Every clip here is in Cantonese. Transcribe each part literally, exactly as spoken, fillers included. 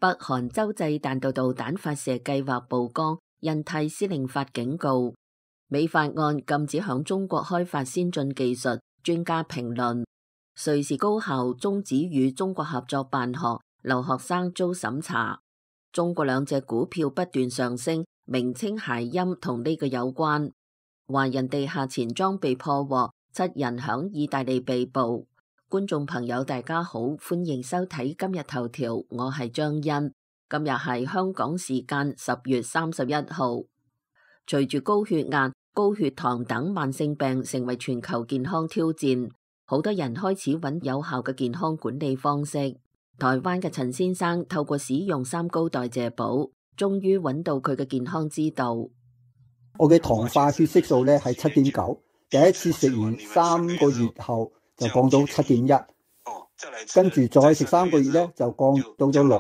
北韓洲際彈道導彈發射計劃曝光，印太司令發警告。美法案禁止響中國開發先進技術，專家評論。瑞士高校終止與中國合作辦學，留學生遭審查。中國兩隻股票不斷上升，名稱諧音同呢個有關。華人地下錢莊被破獲，七人響意大利被捕。觀眾朋友大家好，歡迎收睇今日頭條，我係張欣。今日係香港時間十月三十一號。隨住高血壓、高血糖等慢性病成為全球健康挑戰，好多人開始揾有效嘅健康管理方式。台灣嘅陳先生透過使用三高代謝寶，終於揾到佢嘅健康之道。我嘅糖化血色素咧係七點九，第一次食完三個月後就降到七點一，跟住再食三個月咧就降到咗六，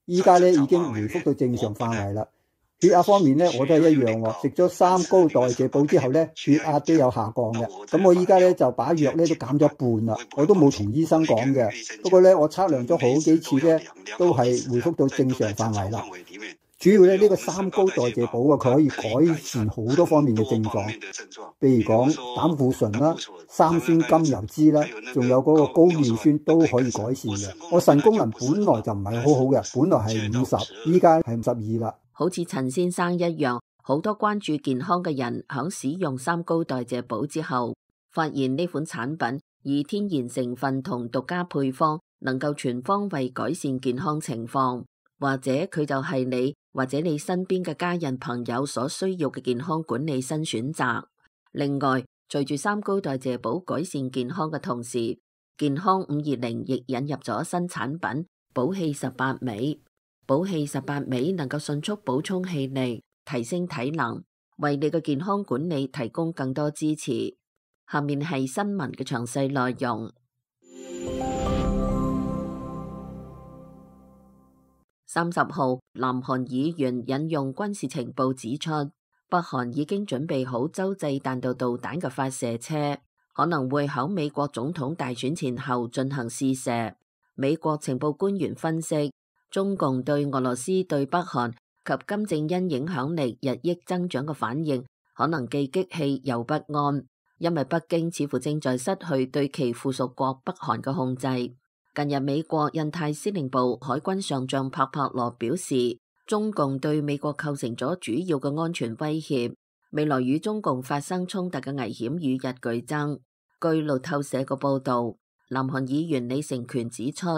依家咧已經回復到正常範圍啦。血壓方面咧我都係一樣喎，食咗三高代謝寶之後咧血壓都有下降嘅。咁我依家咧就把藥咧都減咗一半啦，我都冇同醫生講嘅。不過咧我測量咗好幾次咧都係回復到正常範圍啦。主要咧呢個三高代謝寶啊，佢可以改善好多方面嘅症狀，譬如講膽固醇啦、三酸甘油酯啦，仲有嗰個高尿酸都可以改善嘅。我腎功能本來就唔係好好嘅，本來係五十，依家係五十二啦。好似陳先生一樣，好多關注健康嘅人響使用三高代謝寶之後，發現呢款產品以天然成分同獨家配方，能夠全方位改善健康情況，或者佢就係你或者你身邊嘅家人朋友所需要嘅健康管理新選擇。另外，隨住三高代謝寶改善健康嘅同時，健康五二零亦引入咗新產品寶氣十八味。寶氣十八味能夠迅速補充氣力，提升體能，為你嘅健康管理提供更多支持。下面係新聞嘅詳細內容。三十號，南韓議員引用軍事情報指出，北韓已經準備好洲際彈道導彈嘅發射車，可能會喺美國總統大選前後進行試射。美國情報官員分析，中共對俄羅斯對北韓及金正恩影響力日益增長嘅反應，可能既激氣又不安，因為北京似乎正在失去對其附屬國北韓嘅控制。近日，美國印太司令部海軍上將帕帕羅表示，中共對美國構成咗主要嘅安全威脅，未來與中共發生衝突嘅危險與日俱增。據路透社嘅報道，南韓議員李成權指出，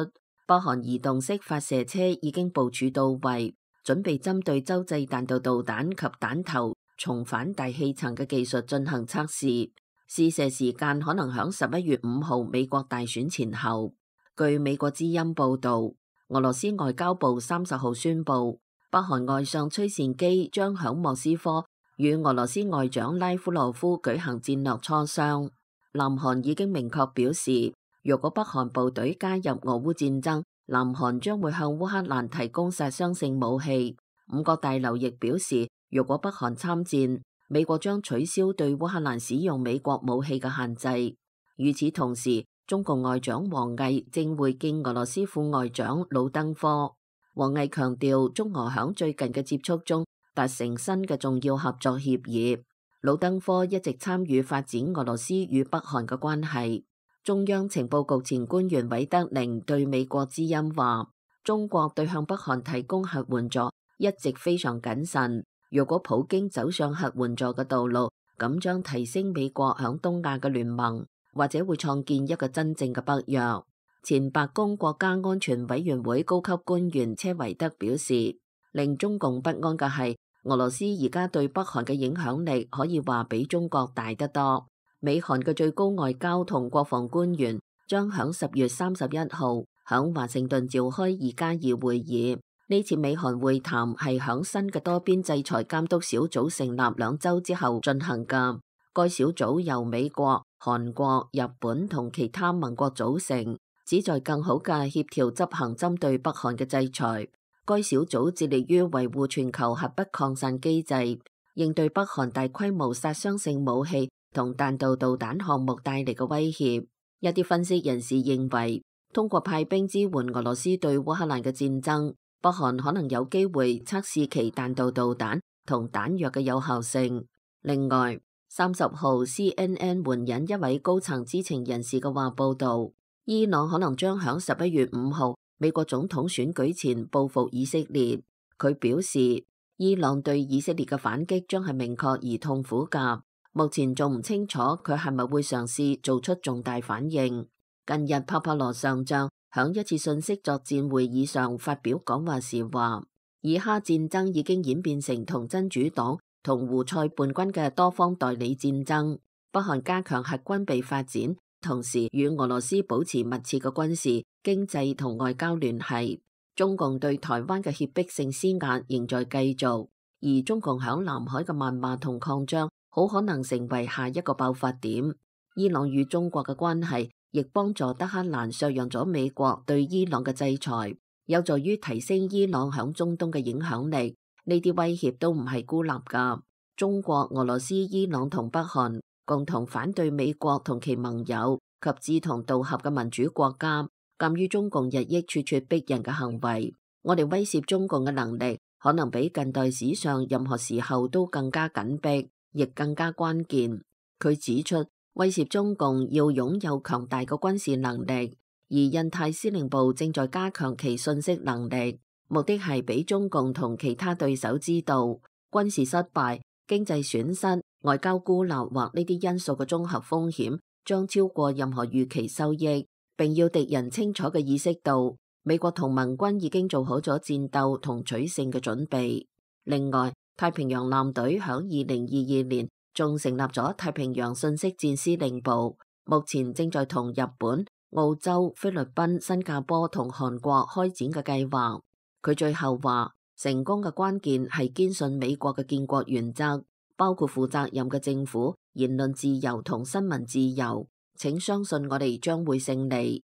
北韓移動式發射車已經部署到位，準備針對洲際彈道導彈及彈頭重返大氣層嘅技術進行測試，試射時間可能響十一月五號美國大選前後。據美國之音報道，俄羅斯外交部三十號宣布，北韓外相崔善基將響莫斯科與俄羅斯外長拉夫羅夫舉行戰略磋商。南韓已經明確表示，若果北韓部隊加入俄烏戰爭，南韓將會向烏克蘭提供殺傷性武器。五角大樓亦表示，若果北韓參戰，美國將取消對烏克蘭使用美國武器嘅限制。與此同時，中共外長王毅正會見俄羅斯副外長魯登科。王毅強調，中俄響最近嘅接觸中達成新嘅重要合作協議。魯登科一直參與發展俄羅斯與北韓嘅關係。中央情報局前官員韋德寧對美國之音話，中國對向北韓提供核援助一直非常謹慎。如果普京走上核援助嘅道路，咁將提升美國響東亞嘅聯盟，或者會創建一個真正嘅北約。前白宮國家安全委員會高級官員車維德表示，令中共不安嘅係俄羅斯而家對北韓嘅影響力可以話比中國大得多。美韓嘅最高外交同國防官員將響十月三十一號響華盛頓召開二加二會議。呢次美韓會談係響新嘅多邊制裁監督小組成立兩週之後進行嘅。該小組由美國、韓國、日本同其他盟國組成，旨在更好嘅協調執行針對北韓嘅制裁。該小組致力於維護全球核不擴散機制，應對北韓大規模殺傷性武器同彈道導彈項目帶嚟嘅威脅。一啲分析人士認為，通過派兵支援俄羅斯對烏克蘭嘅戰爭，北韓可能有機會測試其彈道導彈同彈藥嘅有效性。另外，三十號 C N N 援引一位高層知情人士嘅話報道，伊朗可能將響十一月五號美國總統選舉前報復以色列。佢表示，伊朗對以色列嘅反擊將係明確而痛苦㗎，目前仲唔清楚佢係咪會嘗試做出重大反應。近日，帕帕羅上將響一次信息作戰會議上發表講話時話，以哈戰爭已經演變成同真主黨同胡塞叛軍嘅多方代理戰爭，北韓加強核軍備發展，同時與俄羅斯保持密切嘅軍事、經濟同外交聯繫。中共對台灣嘅脅迫性施壓仍在繼續，而中共響南海嘅謾罵同擴張，好可能成為下一個爆發點。伊朗與中國嘅關係亦幫助德黑蘭削弱咗美國對伊朗嘅制裁，有助於提升伊朗響中東嘅影響力。呢啲威脅都唔係孤立㗎。中國、俄羅斯、伊朗同北韓共同反對美國同其盟友及志同道合嘅民主國家，鑑於中共日益咄咄逼人嘅行為，我哋威懾中共嘅能力可能比近代史上任何時候都更加緊迫，亦更加關鍵。佢指出，威懾中共要擁有強大嘅軍事能力，而印太司令部正在加強其信息能力。目的係俾中共同其他對手知道，軍事失敗、經濟損失、外交孤立或呢啲因素嘅綜合風險將超過任何預期收益，並要敵人清楚嘅意識到，美國同盟軍已經做好咗戰鬥同取勝嘅準備。另外，太平洋艦隊響二零二二年仲成立咗太平洋信息戰司令部，目前正在同日本、澳洲、菲律賓、新加坡同韓國開展嘅計劃。佢最後話，成功嘅關鍵係堅信美國嘅建國原則，包括負責任嘅政府、言論自由同新聞自由。請相信我哋將會勝利。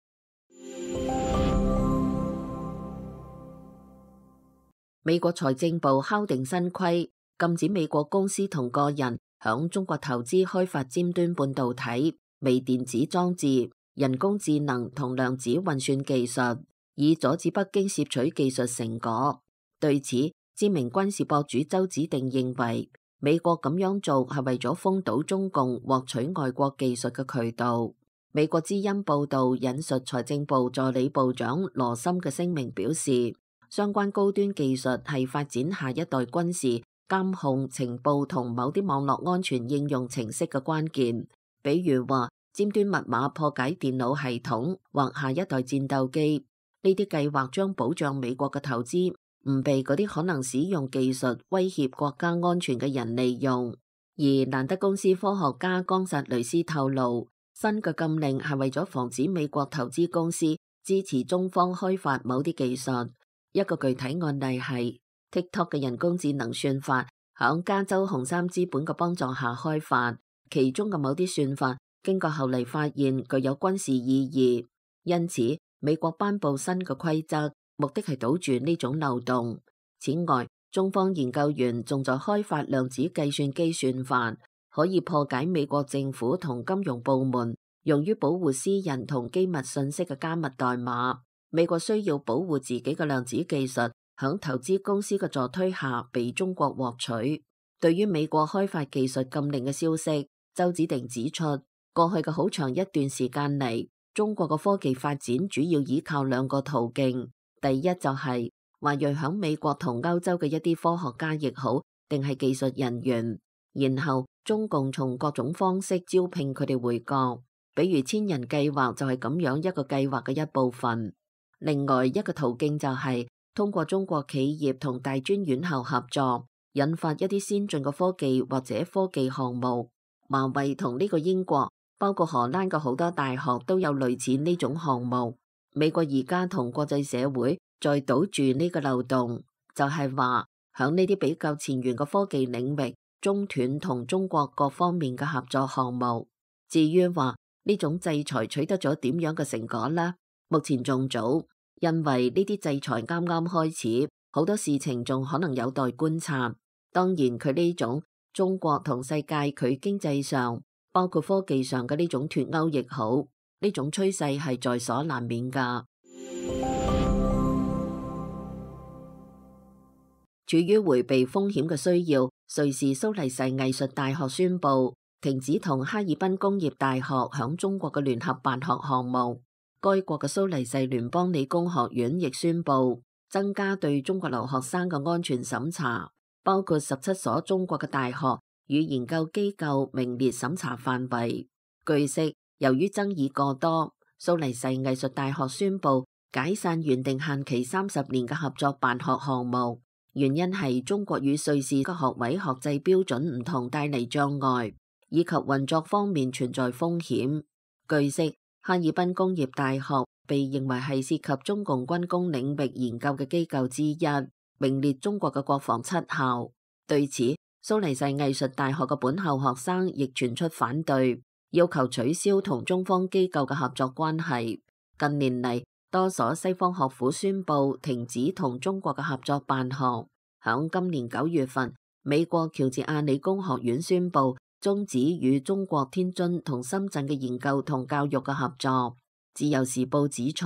美國財政部敲定新規，禁止美國公司同個人響中國投資開發尖端半導體、微電子裝置、人工智能同量子運算技術，以阻止北京攝取技術成果。對此，知名軍事博主周子定認為，美國咁樣做係為咗封堵中共獲取外國技術嘅渠道。美國之音報道引述財政部助理部長羅森嘅聲明表示，相關高端技術係發展下一代軍事、監控、情報同某啲網絡安全應用程式嘅關鍵。比如話，尖端密碼破解電腦系統或下一代戰鬥機。呢啲計劃將保障美國嘅投資唔被嗰啲可能使用技術威脅國家安全嘅人利用。而蘭德公司科學家岡薩雷斯透露，新嘅禁令係為咗防止美國投資公司支持中方開發某啲技術。一個具體案例係 TikTok 嘅人工智能算法響加州紅杉資本嘅幫助下開發，其中嘅某啲算法經過後嚟發現具有軍事意義，因此美國頒布新嘅規則，目的係堵住呢種漏洞。此外，中方研究員仲在開發量子計算機算法，可以破解美國政府同金融部門用於保護私人同機密信息嘅加密代碼。美國需要保護自己嘅量子技術響投資公司嘅助推下被中國獲取。對於美國開發技術禁令嘅消息，周子定指出，過去嘅好長一段時間嚟，中國嘅科技發展主要依靠兩個途徑。第一就係華裔響美國同歐洲嘅一啲科學家亦好，定係技術人員，然後中共從各種方式招聘佢哋回國，比如千人計劃就係咁樣一個計劃嘅一部分。另外一個途徑就係通過中國企業同大專院校合作，引發一啲先進嘅科技或者科技項目。華為同呢個英國，包括荷蘭嘅好多大學都有類似呢種項目。美國而家同國際社會再堵住呢個漏洞，就係話響呢啲比較前沿嘅科技領域中斷同中國各方面嘅合作項目。至於話呢種制裁取得咗點樣嘅成果呢？目前仲早，因為呢啲制裁啱啱開始，好多事情仲可能有待觀察。當然佢呢種中國同世界佢經濟上包括科技上嘅呢種脫鈎亦好，呢種趨勢係在所難免㗎。處於迴避風險嘅需要，瑞士蘇黎世藝術大學宣布停止同哈爾濱工業大學響中國嘅聯合辦學項目。該國嘅蘇黎世聯邦理工學院亦宣布增加對中國留學生嘅安全審查，包括十七所中國嘅大學與研究機構名列審查範圍。據悉，由於爭議過多，蘇黎世藝術大學宣布解散原定限期三十年嘅合作辦學項目，原因係中國與瑞士嘅學位學制標準唔同帶嚟障礙，以及運作方面存在風險。據悉，哈爾濱工業大學被認為係涉及中共軍工領域研究嘅機構之一，名列中國嘅國防七校。對此，蘇黎世藝術大學嘅本校學生亦傳出反對，要求取消同中方機構嘅合作關係。近年嚟，多所西方學府宣布停止同中國嘅合作辦學。響今年九月份，美國喬治亞理工學院宣布終止與中國天津同深圳嘅研究同教育嘅合作。自由時報指出，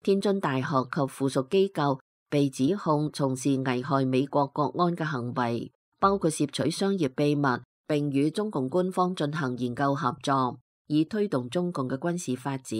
天津大學及附屬機構被指控從事危害美國國安嘅行為，包括竊取商業秘密，並與中共官方進行研究合作，以推動中共嘅軍事發展。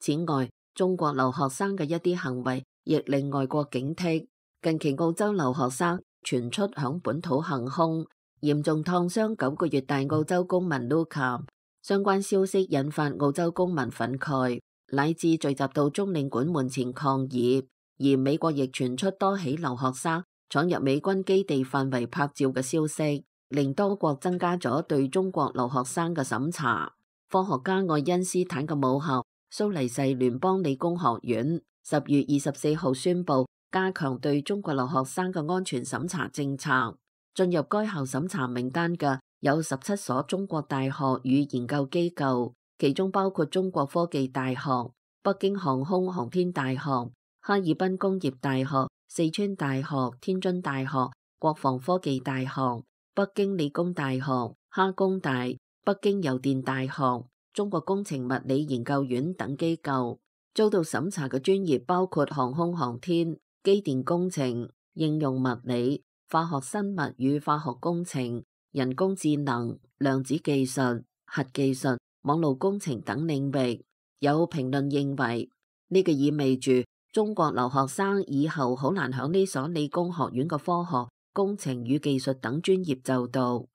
此外，中國留學生嘅一啲行為亦令外國警惕。近期澳洲留學生傳出響本土行兇，嚴重燙傷九個月大澳洲公民 Luca， 相關消息引發澳洲公民憤慨，乃至聚集到中領館門前抗議。而美國亦傳出多起留學生闖入美軍基地範圍拍照嘅消息，令多國增加咗對中國留學生嘅審查。科學家愛因斯坦嘅母校蘇黎世聯邦理工學院十月二十四號宣布加強對中國留學生嘅安全審查政策。進入該校審查名單嘅有十七所中國大學與研究機構，其中包括中國科技大學、北京航空航天大學、哈爾濱工業大學、四川大學、天津大學、國防科技大學、北京理工大學、哈工大、北京郵電大學、中國工程物理研究院等機構。遭到審查嘅專業包括航空航天、機電工程、應用物理、化學生物與化學工程、人工智能、量子技術、核技術、網絡工程等領域。有評論認為，呢、這個意味住中國留學生以後好難響呢所理工學院嘅科學、工程與技術等專業就讀。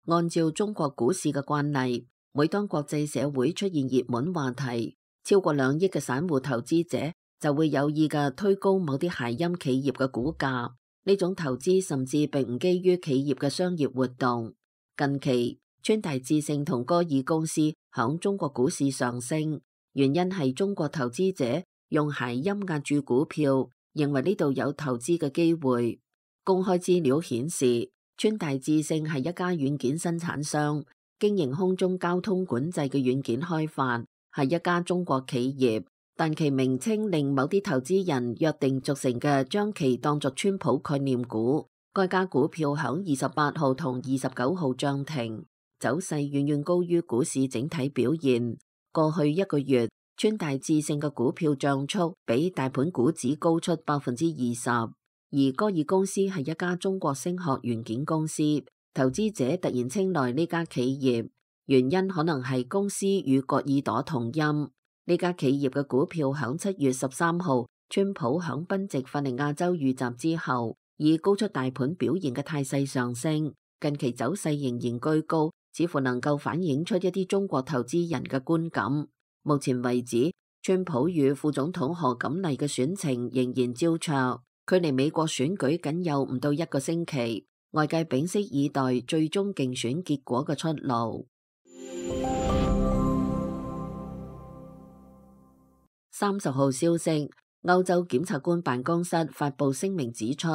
按照中國股市嘅慣例，每當國際社會出現熱門話題，超過兩億嘅散戶投資者就會有意嘅推高某啲諧音企業嘅股價。呢種投資甚至並唔基於企業嘅商業活動。近期，川大智勝同歌爾公司響中國股市上升，原因係中國投資者用諧音壓住股票，認為呢度有投資嘅機會。公開資料顯示，川大智勝係一家軟件生產商，經營空中交通管制嘅軟件開發，係一家中國企業，但其名稱令某啲投資人約定俗成嘅將其當作川普概念股。該家股票響二十八號同二十九號漲停，走勢遠遠高於股市整體表現。過去一個月，川大智勝嘅股票漲速比大盤股指高出百分之二十。而歌爾公司係一家中國聲學元件公司，投資者突然青睞呢家企業，原因可能係公司與割耳朵同音。呢家企業嘅股票響七月十三號，川普響賓夕法尼亞州遇襲之後，以高出大盤表現嘅態勢上升，近期走勢仍然居高，似乎能夠反映出一啲中國投資人嘅觀感。目前為止，川普與副總統賀錦麗嘅選情仍然焦灼。距離美國選舉僅有唔到一個星期，外界屏息以待最終競選結果嘅出爐。三十號消息，歐洲檢察官辦公室發布聲明指出，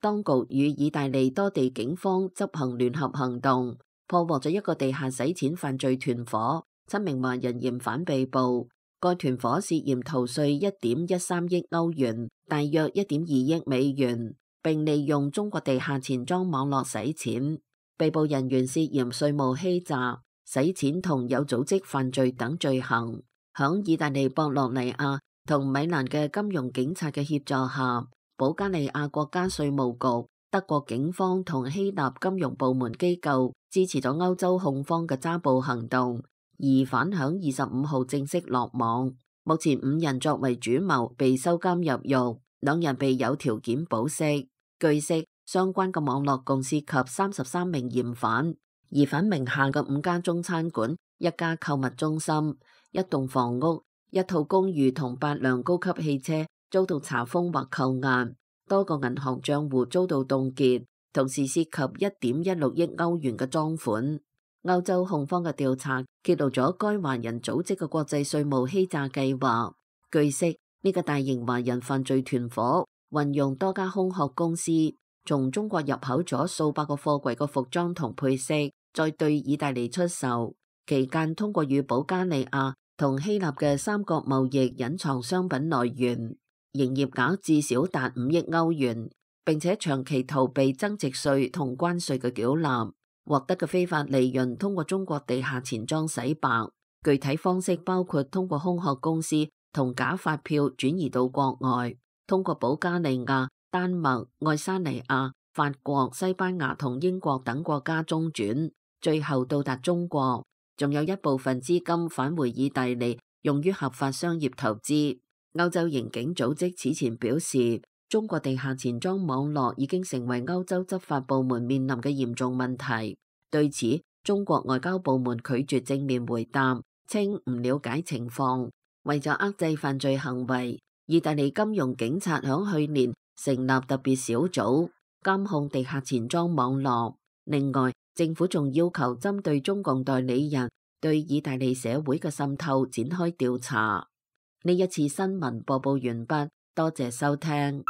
當局與意大利多地警方執行聯合行動，破獲咗一個地下洗錢犯罪團伙，七名華人嫌犯被捕。該團伙涉嫌逃稅一點一三億歐元，大約一點二億美元，並利用中國地下錢莊網絡洗錢。被捕人員涉嫌稅務欺詐、洗錢同有組織犯罪等罪行。響意大利博洛尼亞同米蘭嘅金融警察嘅協助下，保加利亞國家稅務局、德國警方同希臘金融部門機構支持咗歐洲控方嘅抓捕行動，疑犯響二十五號正式落網。目前五人作為主謀被收監入獄，兩人被有條件保釋。據悉，相關嘅網絡共涉及三十三名嫌犯，疑犯名下嘅五家中餐館、一家購物中心、一棟房屋、一套公寓同八輛高級汽車遭到查封或扣押，多個銀行賬戶遭到凍結，同時涉及一點一六億歐元嘅贓款。歐洲控方嘅調查揭露咗該華人組織嘅國際稅務欺詐計劃。據悉，呢個大型華人犯罪團伙運用多家空殼公司，從中國入口咗數百個貨櫃嘅服裝同配飾，再對意大利出售。期間通過與保加利亞同希臘嘅三國貿易隱藏商品來源，營業額至少達五億歐元，並且長期逃避增值稅同關稅嘅繳納，獲得嘅非法利潤通過中國地下錢莊洗白。具體方式包括通過空殼公司同假發票轉移到國外，通過保加利亞、丹麥、愛沙尼亞、法國、西班牙同英國等國家中轉，最後到達中國。仲有一部分資金返回意大利，用於合法商業投資。歐洲刑警組織此前表示，中國地下錢莊網絡已經成為歐洲執法部門面臨嘅嚴重問題。對此，中國外交部門拒絕正面回答，稱唔了解情況。為咗遏制犯罪行為，意大利金融警察響去年成立特別小組監控地下錢莊網絡。另外，政府仲要求針對中共代理人對意大利社會嘅滲透展開調查。呢一次新聞播報完畢，多謝收聽。